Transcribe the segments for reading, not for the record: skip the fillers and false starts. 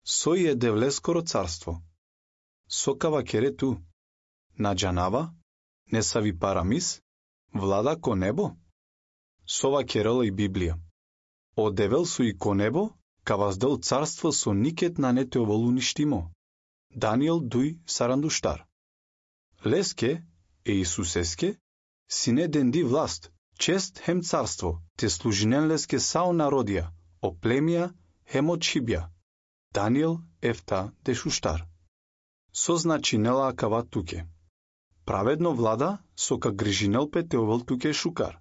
Сој е девлескоро царство. Сокава керету, на джанава, не сави парамис, влада ко небо? Сова керела и Библија. Одевел су и ко небо, ка воздел царство со никет на не те оволуништимо. Даниел 2:42. Леске, Иисусеске, сине денди власт, чест хем царство, те служинен леске сао народија, о племија, хем од Шибја. Даниел ефта дешуштар. Со значи нела кава туке. Праведно влада, со ка грижинел пе те овел туке шукар.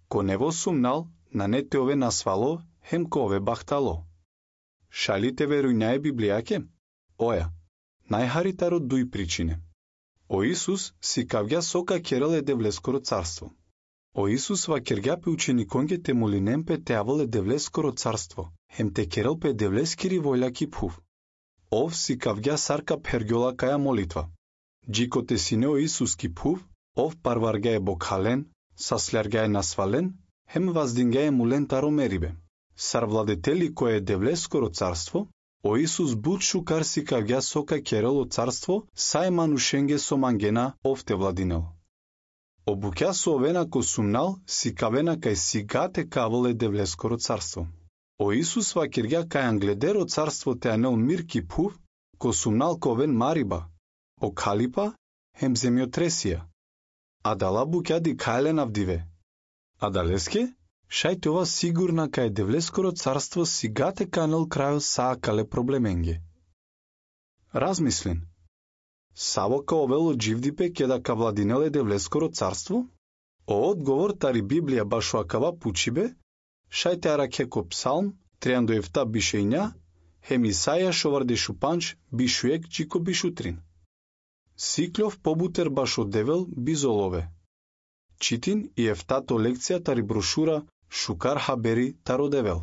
Ко нево сумнал, на не те ове насвало, хем ко ове бахтало. Шалите верујнај Библијаке? Оја, најхаритаро дуј причине. О Исус си кавѓа сока керел е девлескоро царство. О Исус ва кергјапе учениконге те молинем пе те авол е девлескоро царство, хем те керел пе девлескири војлаки пхув. Ов си кавѓа сарка пергјола каја молитва. Джикоте сине о Исус ки пхув, ов парварга е бокхален, саслярга е насвален, хем ваздинга е мулен таро мерибе. Сар владетели кој е девлескоро царство, о Исус буд шукар си кавѓа сока керел о царство, сај манушенге со мангена овте владинел. Обуќа со овена ко сумнал, си кавена кај сигате кавол е девлескоро царство. О Исус ва кирѓа кај англедеро царство те анел мир ки пув, ко сумнал ковен мариба, о калипа, хем земјотресија. А дала буќа ди кајлен авдиве. А далеске, шајте ова сигурна кај девлескоро царство сигате канел крајо саакале проблеменге. Размислен. Саво ка овело дживдипе кеда ка владинеле девлескоро царство? О одговор тари Библија башо акава пучибе, шајте араке ко псалм, 3 бишејња, хем Исаја шоварде шупанч, бишуек чико бишутрин. Сиклов побутер башо девел бизолове. Читин и ефтато лекција тари брошура Шукар хабери таро девел.